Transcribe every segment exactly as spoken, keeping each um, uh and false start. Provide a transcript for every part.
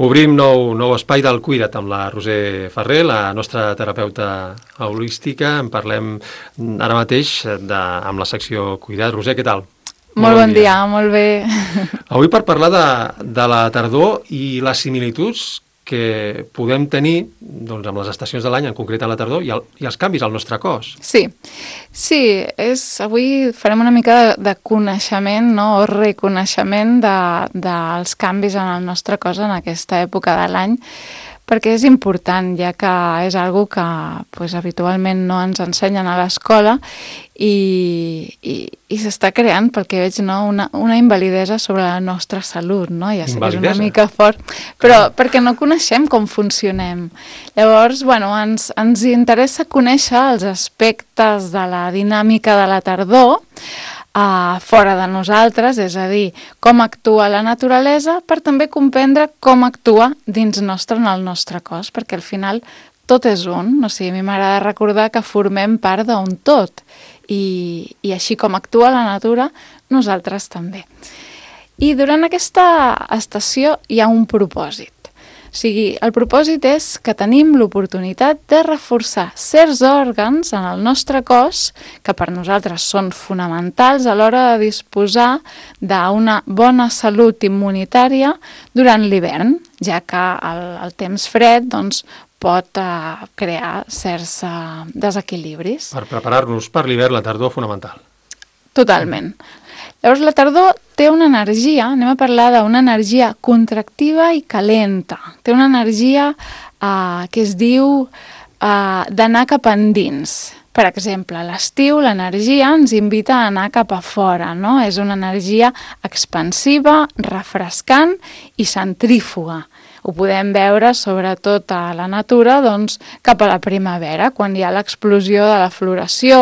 Obrim nou, nou espai del Cuida't amb la Roser Ferrer, la nostra terapeuta holística. En parlem ara mateix de, amb la secció Cuida't. Roser, què tal? Molt, molt bon dia. dia, molt bé. Avui per parlar de, de la tardor i les similituds que podem tenir doncs, amb les estacions de l'any, en concret a la tardor, i, el, i els canvis al nostre cos. Sí, sí és, avui farem una mica de, de coneixement, no? O reconeixement de, dels canvis en el nostre cos en aquesta època de l'any, perquè és important, ja que és algo que pues, habitualment no ens ensenyen a l'escola i, i, i s'està creant, pel que veig, no? una, una invalidesa sobre la nostra salut, no? Ja sé que és una mica fort, però ah. perquè no coneixem com funcionem. Llavors, bueno, ens, ens interessa conèixer els aspectes de la dinàmica de la tardor, Uh, fora de nosaltres, és a dir, com actua la naturalesa, per també comprendre com actua dins nostre en el nostre cos, perquè al final tot és un, o sigui, a mi m'agrada recordar que formem part d'un tot, i, i així com actua la natura, nosaltres també. I durant aquesta estació hi ha un propòsit. O sigui, el propòsit és que tenim l'oportunitat de reforçar certs òrgans en el nostre cos que per nosaltres són fonamentals a l'hora de disposar d'una bona salut immunitària durant l'hivern, ja que el, el temps fred doncs, pot uh, crear certs uh, desequilibris. Per preparar-nos per l'hivern, la tardor fonamental. Totalment. Llavors, la tardor té una energia, anem a parlar d'una energia contractiva i calenta. Té una energia eh, que es diu eh, d'anar cap endins. Per exemple, a l'estiu l'energia ens invita a anar cap a fora, no? És una energia expansiva, refrescant i centrífuga. Ho podem veure sobretot a la natura doncs, cap a la primavera, quan hi ha l'explosió de la floració,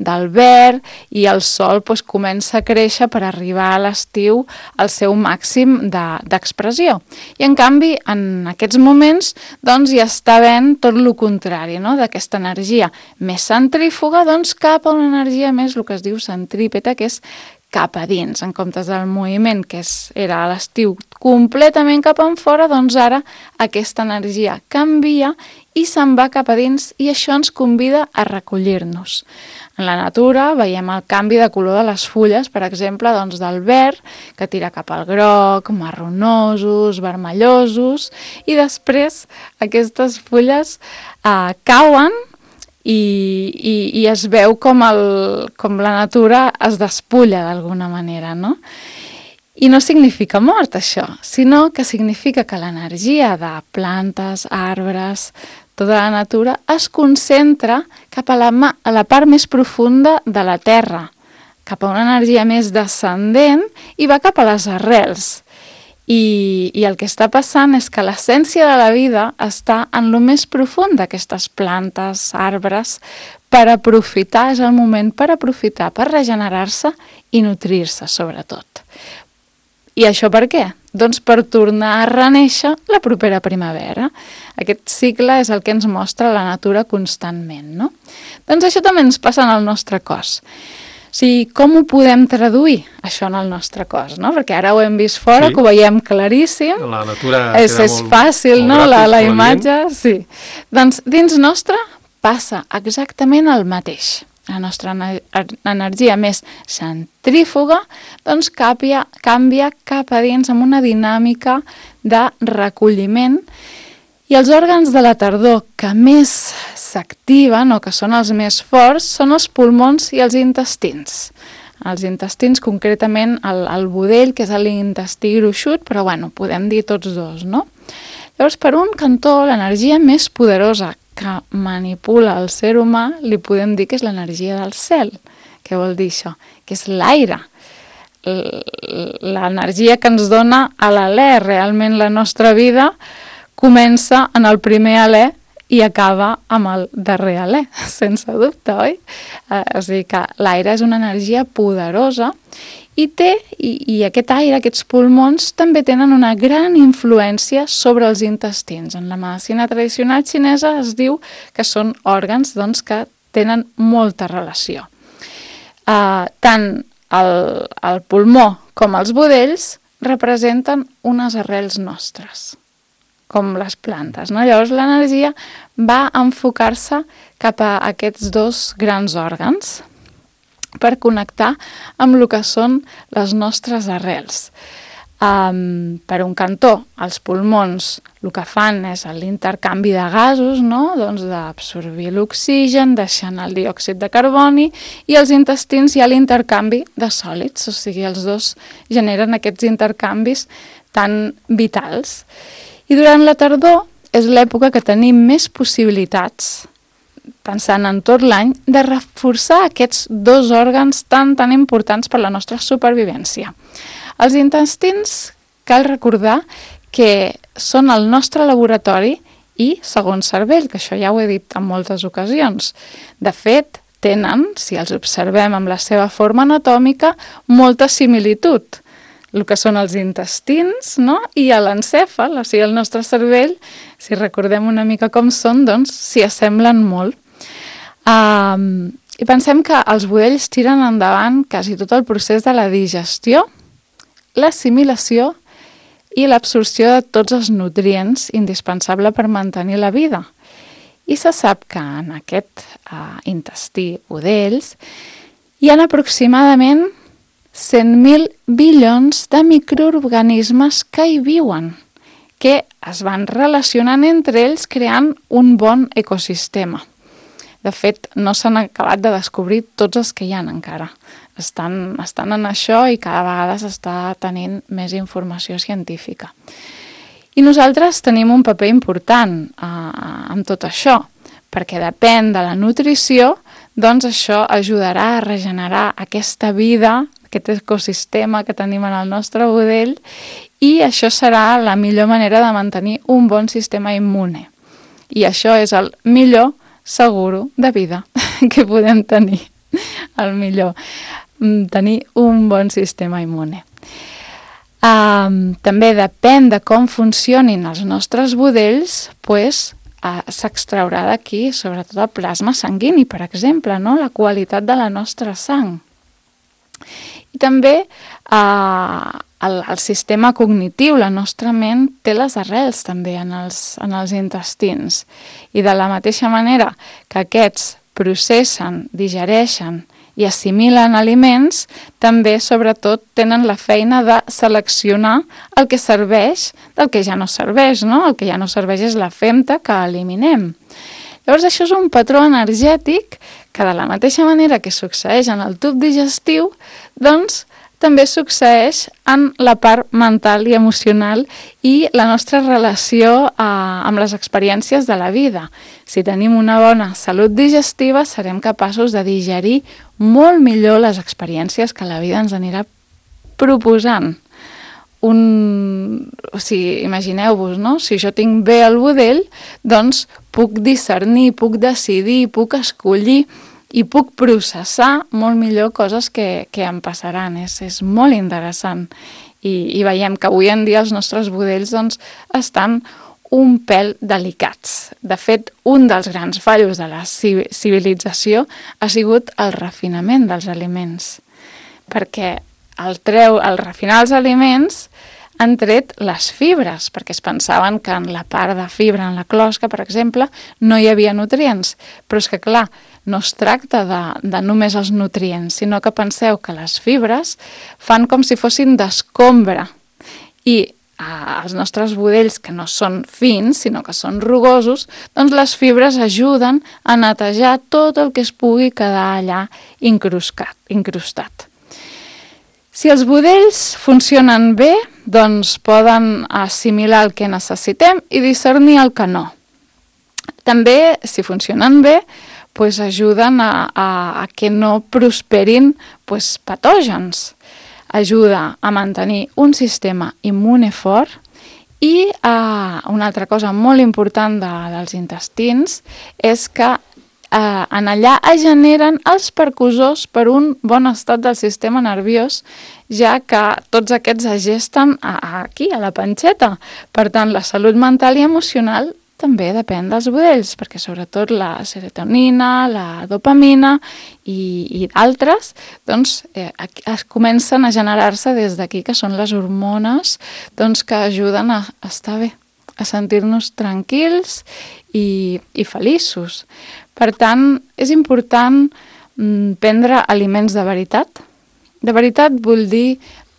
del verd, i el sol doncs, comença a créixer per arribar a l'estiu al seu màxim d'expressió. I en canvi, en aquests moments, doncs, hi està havent tot el contrari, no? D'aquesta energia més centrífuga doncs, cap a una energia més, el que es diu centrípeta, que és cap a dins, en comptes del moviment que és, era a l'estiu completament cap en fora, doncs ara aquesta energia canvia i se'n va cap a dins i això ens convida a recollir-nos. En la natura veiem el canvi de color de les fulles, per exemple, doncs del verd, que tira cap al groc, marronosos, vermellosos, i després aquestes fulles eh, cauen, I, i, i es veu com, el, com la natura es despulla d'alguna manera, no? I no significa mort, això, sinó que significa que l'energia de plantes, arbres, tota la natura es concentra cap a la, a la part més profunda de la terra, cap a una energia més descendent i va cap a les arrels. I, i el que està passant és que l'essència de la vida està en lo més profund d'aquestes plantes, arbres, per aprofitar, és el moment per aprofitar, per regenerar-se i nutrir-se, sobretot. I això per què? Doncs per tornar a renéixer la propera primavera. Aquest cicle és el que ens mostra la natura constantment, no? Doncs això també ens passa en el nostre cos. O sigui, com ho podem traduir, això en el nostre cos, no? Perquè ara ho hem vist fora, sí. Que ho veiem claríssim. La natura és, queda és molt, fàcil, molt no? gràfic, La, la imatge, sí. Doncs dins nostre passa exactament el mateix. La nostra energia més centrífuga doncs canvia, canvia cap a dins amb una dinàmica de recolliment. I els òrgans de la tardor que més s'activen o que són els més forts són els pulmons i els intestins. Els intestins, concretament el, el budell, que és l'intestí gruixut, però bueno, podem dir tots dos, no? Llavors, per un cantó, l'energia més poderosa que manipula el ser humà, li podem dir que és l'energia del cel. Què vol dir això? Que és l'aire. L'energia que ens dona a l'alè. Realment la nostra vida comença en el primer alè i acaba amb el darrer alè, sense dubte, oi? Eh, o sigui que l'aire és una energia poderosa i té, i, i aquest aire, aquests pulmons, també tenen una gran influència sobre els intestins. En la medicina tradicional xinesa es diu que són òrgans doncs, que tenen molta relació. Eh, tant el, el pulmó com els budells representen unes arrels nostres. com les plantes, no? Llavors l'energia va enfocar-se cap a aquests dos grans òrgans per connectar amb el que són les nostres arrels. Um, per un cantó, els pulmons el que fan és l'intercanvi de gasos, no? Doncs d'absorbir l'oxigen, deixant el diòxid de carboni, i els intestins hi ha l'intercanvi de sòlids, o sigui, els dos generen aquests intercanvis tan vitals. I durant la tardor és l'època que tenim més possibilitats, pensant en tot l'any, de reforçar aquests dos òrgans tan, tan importants per la nostra supervivència. Els intestins, cal recordar que són el nostre laboratori i segon cervell, que això ja ho he dit en moltes ocasions. De fet, tenen, si els observem amb la seva forma anatòmica, molta similitud. El que són els intestins, no? I l'encèfal, o sigui, el nostre cervell, si recordem una mica com són, doncs s'hi assemblen molt. Um, I pensem que els budells tiren endavant quasi tot el procés de la digestió, l'assimilació i l'absorció de tots els nutrients indispensable per mantenir la vida. I se sap que en aquest uh, intestí budells hi ha aproximadament cent mil bilions de microorganismes que hi viuen, que es van relacionant entre ells creant un bon ecosistema. De fet, no s'han acabat de descobrir tots els que hi ha encara. Estan, estan en això i cada vegada s'està tenint més informació científica. I nosaltres tenim un paper important eh, amb tot això, perquè depèn de la nutrició, doncs això ajudarà a regenerar aquesta vida, aquest ecosistema que tenim en el nostre budell, i això serà la millor manera de mantenir un bon sistema immune. I això és el millor seguro de vida que podem tenir, el millor, tenir un bon sistema immune. Um, també depèn de com funcionin els nostres budells, pues, uh, s'extraurà d'aquí sobretot el plasma sanguini, per exemple, no? La qualitat de la nostra sang. I també eh, el, el sistema cognitiu, la nostra ment, té les arrels també en els, en els intestins. I de la mateixa manera que aquests processen, digereixen i assimilen aliments, també, sobretot, tenen la feina de seleccionar el que serveix del que ja no serveix, no? El que ja no serveix és la femta que eliminem. Llavors, això és un patró energètic que de la mateixa manera que succeeix en el tub digestiu, doncs també succeeix en la part mental i emocional i la nostra relació eh, amb les experiències de la vida. Si tenim una bona salut digestiva, serem capaços de digerir molt millor les experiències que la vida ens anirà proposant. Un... O sigui, imagineu-vos, no? Si jo tinc bé el budell, doncs puc discernir, puc decidir, puc escollir i puc processar molt millor coses que, que em passaran. És, és molt interessant. I, I veiem que avui en dia els nostres budells doncs, estan un pèl delicats. De fet, un dels grans fallos de la civilització ha sigut el refinament dels aliments. Perquè el treu, el refinar els aliments han tret les fibres, perquè es pensaven que en la part de fibra, en la closca, per exemple, no hi havia nutrients. Però és que, clar, no es tracta de, de només els nutrients, sinó que penseu que les fibres fan com si fossin d'escombra. I eh, els nostres budells, que no són fins, sinó que són rugosos, doncs les fibres ajuden a netejar tot el que es pugui quedar allà incrustat. incrustat. Si els budells funcionen bé, doncs poden assimilar el que necessitem i discernir el que no. També, si funcionen bé, doncs ajuden a, a, a que no prosperin doncs, patògens. Ajuda a mantenir un sistema immune fort i eh, una altra cosa molt important de, dels intestins és que eh, en allà es generen els percussors per un bon estat del sistema nerviós, ja que tots aquests es gesten a, a aquí, a la panxeta. Per tant, la salut mental i emocional també depèn dels budells, perquè sobretot la serotonina, la dopamina i, i d'altres, doncs eh, es comencen a generar-se des d'aquí, que són les hormones doncs, que ajuden a estar bé, a sentir-nos tranquils i, i feliços. Per tant, és important mm, prendre aliments de veritat. De veritat vull dir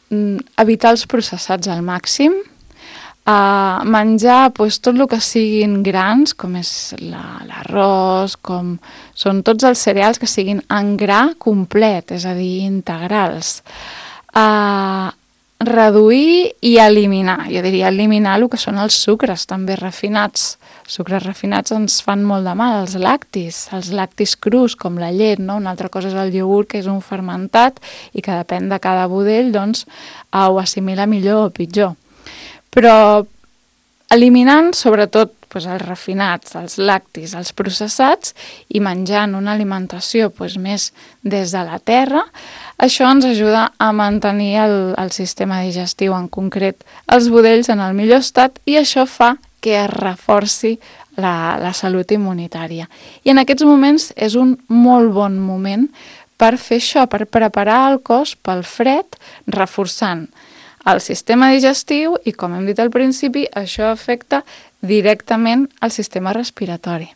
mm, evitar els processats al màxim, uh, menjar pues, tot el que siguin grans, com és la, l'arròs, com són tots els cereals que siguin en gra complet, és a dir, integrals. Uh, reduir i eliminar, jo diria eliminar el que són els sucres també refinats. Sucres refinats ens fan molt de mal, els lactis, els lactis crus com la llet, no? Una altra cosa és el iogurt, que és un fermentat i que depèn de cada budell, doncs ho assimila millor o pitjor. Però eliminant sobretot doncs, els refinats, els lactis, els processats i menjant una alimentació doncs, més des de la terra, això ens ajuda a mantenir el, el sistema digestiu, en concret els budells en el millor estat, i això fa que es reforci la, la salut immunitària. I en aquests moments és un molt bon moment per fer això, per preparar el cos pel fred, reforçant el sistema digestiu i, com hem dit al principi, això afecta directament al sistema respiratori.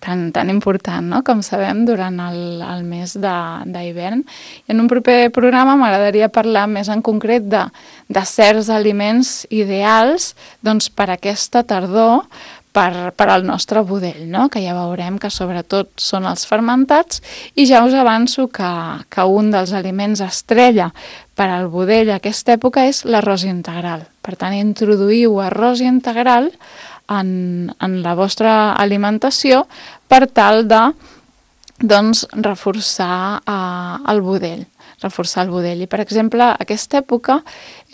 Tan, tan important, no? Com sabem, durant el, el mes d'hivern. I en un proper programa m'agradaria parlar més en concret de, de certs aliments ideals doncs, per aquesta tardor, per, per al nostre budell, no? Que ja veurem que sobretot són els fermentats, i ja us avanço que, que un dels aliments estrella per al budell a aquesta època és l'arròs integral. Per tant, introduïu arròs integral En, en la vostra alimentació per tal de doncs, reforçar uh, el budell, reforçar el budell. I, per exemple, aquesta època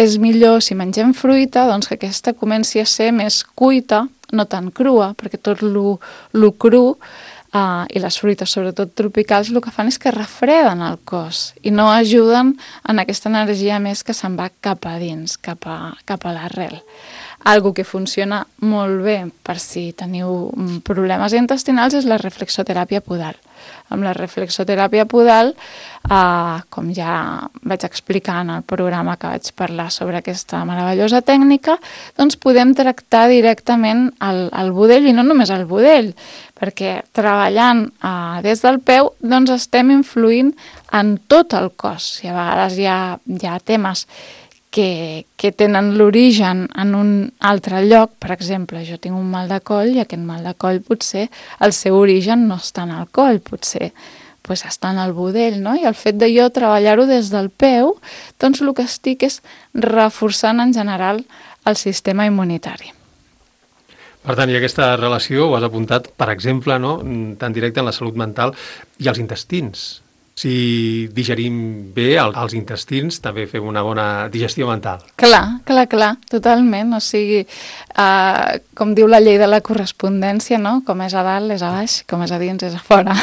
és millor, si mengem fruita, doncs que aquesta comenci a ser més cuita, no tan crua, perquè tot lo, lo cru uh, i les fruites, sobretot tropicals, el que fan és que refreden el cos i no ajuden en aquesta energia més que se'n va cap a dins, cap a, cap a l'arrel. Algo que funciona molt bé per si teniu problemes intestinals és la reflexoteràpia podal. Amb la reflexoteràpia podal, eh, com ja vaig explicar en el programa que vaig parlar sobre aquesta meravellosa tècnica, doncs podem tractar directament el, el budell, i no només el budell, perquè treballant eh, des del peu doncs estem influint en tot el cos. I a vegades hi ha, hi ha temes Que, que tenen l'origen en un altre lloc. Per exemple, jo tinc un mal de coll i aquest mal de coll potser el seu origen no està en el coll, potser pues, està en el budell, no? I el fet de jo treballar-ho des del peu, doncs el que estic és reforçant en general el sistema immunitari. Per tant, hi ha aquesta relació, ho has apuntat, per exemple, no? Tan directa en la salut mental i els intestins. Si digerim bé els intestins, també fem una bona digestió mental. Clar, clar, clar, totalment. O sigui, eh, com diu la llei de la correspondència, no? Com és a dalt és a baix, com és a dins és a fora.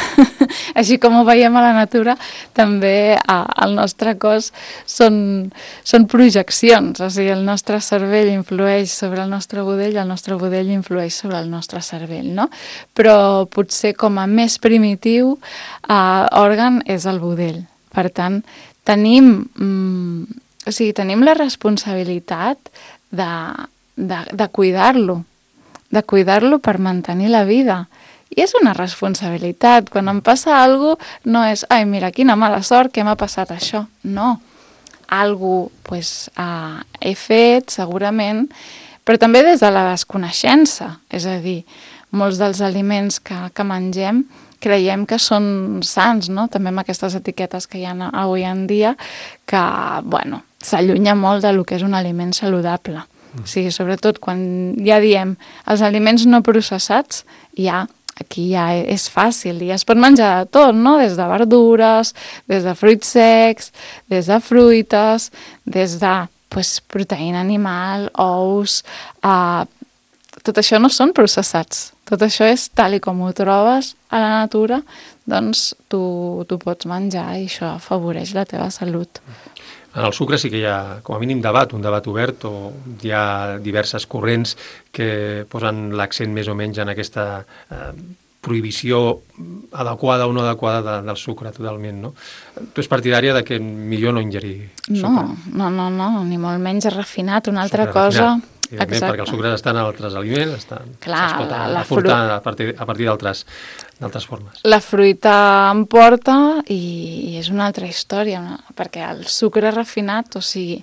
Així com ho veiem a la natura, també eh, el nostre cos són, són projeccions. O sigui, el nostre cervell influeix sobre el nostre budell, el nostre budell influeix sobre el nostre cervell, no? Però potser com a més primitiu eh, òrgan és el budell. Per tant, tenim, mm, o sigui, tenim la responsabilitat de, de, de cuidar-lo, de cuidar-lo per mantenir la vida. I és una responsabilitat. Quan em passa alguna cosa, no és, ai, mira, quina mala sort que m'ha passat això. No. Algo, pues, uh, he fet, segurament, però també des de la desconeixença. És a dir, molts dels aliments que, que mengem creiem que són sants, no? També amb aquestes etiquetes que hi ha avui en dia, que, bueno, s'allunya molt del que és un aliment saludable. Mm. O sigui, sobretot quan ja diem els aliments no processats, ja, aquí ja és fàcil, i es pot menjar de tot, no? Des de verdures, des de fruits secs, des de fruites, des de pues, proteïna animal, ous, eh, tot això no són processats. Tot això és tal i com ho trobes a la natura, doncs tu, tu pots menjar i això afavoreix la teva salut. En el sucre sí que hi ha, com a mínim, debat, un debat obert, o hi ha diverses corrents que posen l'accent més o menys en aquesta eh, prohibició adequada o no adequada de, del sucre, totalment, no? Tu ets partidària de que millor no ingerir sucre? No, no, no, no, ni molt menys refinat. Una altra sucre cosa... refinat. evidentment, Exacte. perquè els sucres estan en altres aliments, estan, Clar, es pot la- la aportar fru- a partir, a partir d'altres d'altres formes. La fruita emporta i, i és una altra història, no? Perquè el sucre refinat, o sigui,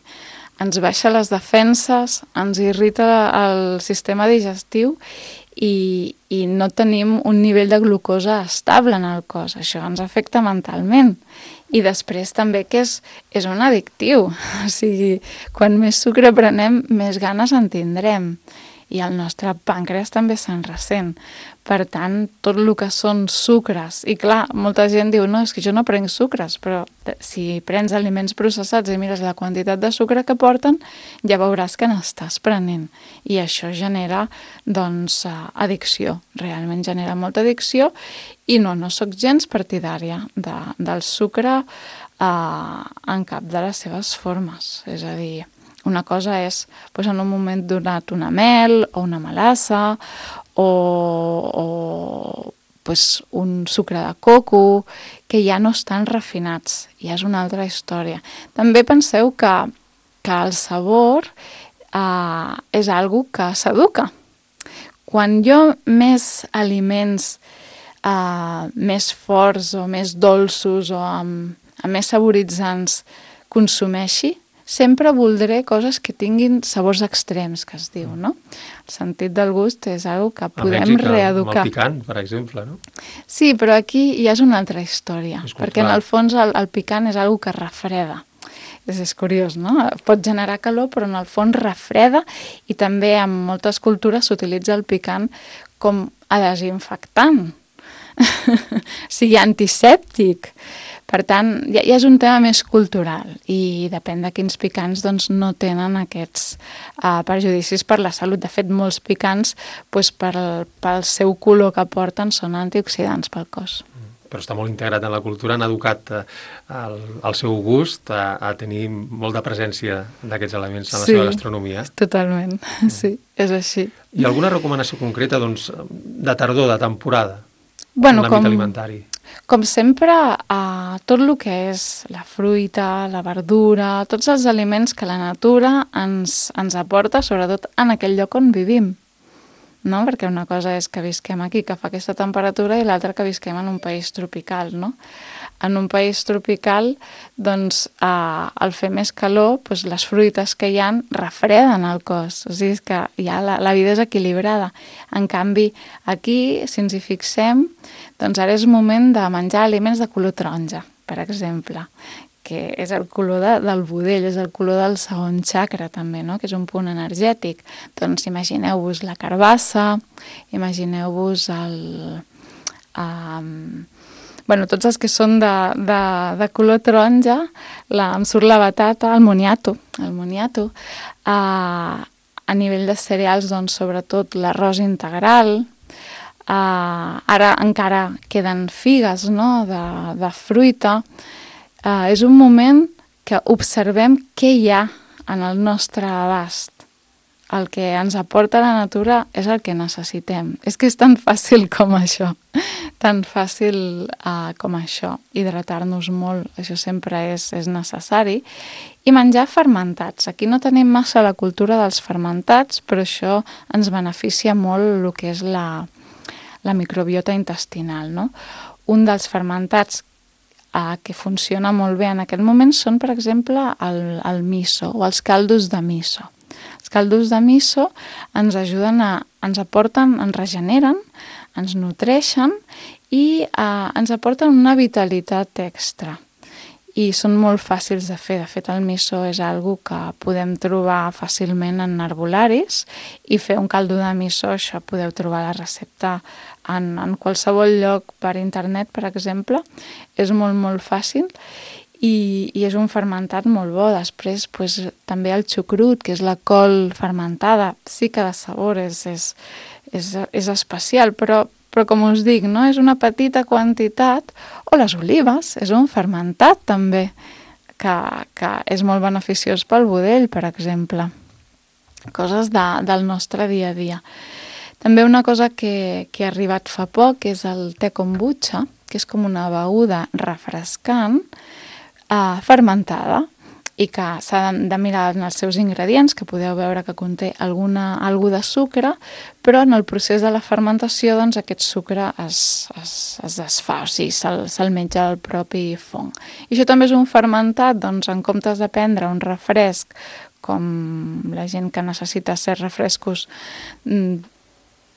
ens baixa les defenses, ens irrita el sistema digestiu i, i no tenim un nivell de glucosa estable en el cos. Això ens afecta mentalment. I després també que és, és un addictiu. O sigui, quan més sucre prenem, més ganes en tindrem. I el nostre pàncreas també se'n ressent. Per tant, tot el que són sucres... I clar, molta gent diu, no, és que jo no prenc sucres, però si prens aliments processats i mires la quantitat de sucre que porten, ja veuràs que n'estàs prenent. I això genera, doncs, addicció. Realment genera molta addicció i no, no sóc gens partidària de, del sucre eh, en cap de les seves formes. És a dir, una cosa és doncs, en un moment donat una mel o una melassa o, o doncs, un sucre de coco que ja no estan refinats, ja és una altra història. També penseu que, que el sabor eh, és algo que s'educa. Quan jo més aliments eh, més forts o més dolços o amb, amb més saboritzants consumeixi, sempre voldré coses que tinguin sabors extrems, que es diu, no? El sentit del gust és una que podem a Mèxic, reeducar. amb el picant, per exemple, no? Sí, però aquí ja és una altra història, És perquè en el fons el, el picant és una que refreda. És, és curiós, no? Pot generar calor, però en el fons refreda i també en moltes cultures s'utilitza el picant com a desinfectant, o sigui, antisèptic. Per tant, ja, ja és un tema més cultural i depèn de quins picants doncs, no tenen aquests uh, perjudicis per la salut. De fet, molts picants, doncs, per, pel seu color que porten, són antioxidants pel cos. Però està molt integrat en la cultura, han educat eh, el, el seu gust a, a tenir molt de presència d'aquests elements en la Sí, seva gastronomia. Totalment, sí, és així. I alguna recomanació concreta doncs, de tardor, de temporada, Bueno, en l'àmbit com, alimentari? com sempre, eh, tot el que és la fruita, la verdura, tots els aliments que la natura ens, ens aporta, sobretot en aquell lloc on vivim. No? Perquè una cosa és que visquem aquí, que fa aquesta temperatura, i l'altra que visquem en un país tropical, no? En un país tropical, doncs, eh, al fer més calor, doncs, les fruites que hi ha refreden el cos. O sigui, és que ja la, la vida és equilibrada. En canvi, aquí, si ens hi fixem, doncs ara és moment de menjar aliments de color taronja, per exemple, que és el color de, del budell, és el color del segon xacra també, no? Que és un punt energètic. Doncs imagineu-vos la carbassa, imagineu-vos el... Um, bueno, tots els que són de, de, de color taronja, la, em surt la batata, el moniato, el moniato. Uh, a nivell de cereals, doncs, sobretot l'arròs integral. Uh, ara encara queden figues, no?, de, de fruita. Uh, és un moment que observem què hi ha en el nostre abast. El que ens aporta la natura és el que necessitem. És que és tan fàcil com això, tan fàcil uh, com això. Hidratar-nos molt, això sempre és, és necessari. I menjar fermentats. Aquí no tenim massa la cultura dels fermentats, però això ens beneficia molt el que és la, la microbiota intestinal, no? Un dels fermentats Uh, que funciona molt bé en aquest moment són, per exemple, el, el miso o els caldos de miso. Els caldos de miso ens ajuden a, ens aporten, ens regeneren, ens nutreixen i uh, ens aporten una vitalitat extra. I són molt fàcils de fer. De fet, el miso és algo que podem trobar fàcilment en herbolaris i fer un caldo de miso, això podeu trobar la recepta en, en qualsevol lloc per internet, per exemple. És molt, molt fàcil i, i és un fermentat molt bo. Després, pues, també el xucrut, que és la col fermentada, sí que de sabor és, és, és, és especial, però però com us dic, no? És una petita quantitat, o les olives, és un fermentat també, que, que és molt beneficiós pel budell, per exemple. Coses de, del nostre dia a dia. També una cosa que, que ha arribat fa poc és el te kombucha, que és com una beguda refrescant, eh, fermentada. i que s'ha de mirar en els seus ingredients, que podeu veure que conté alguna, algú de sucre, però en el procés de la fermentació doncs, aquest sucre es, es, es desfà, o sigui, se'l se menja el propi fong. I això també és un fermentat, doncs, en comptes de prendre un refresc, com la gent que necessita ser refrescos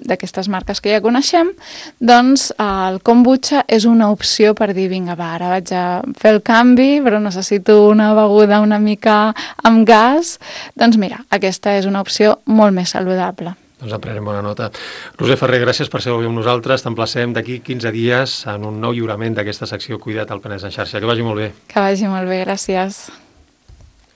d'aquestes marques que ja coneixem, doncs el kombucha és una opció per dir, vinga, va, ara vaig a fer el canvi, però necessito una beguda una mica amb gas. Doncs mira, aquesta és una opció molt més saludable. Doncs en prenem bona nota. Roser Ferrer, gràcies per ser avui amb nosaltres. T'emplacem d'aquí quinze dies en un nou lliurament d'aquesta secció Cuida't al Penedès en xarxa. Que vagi molt bé. Que vagi molt bé, gràcies.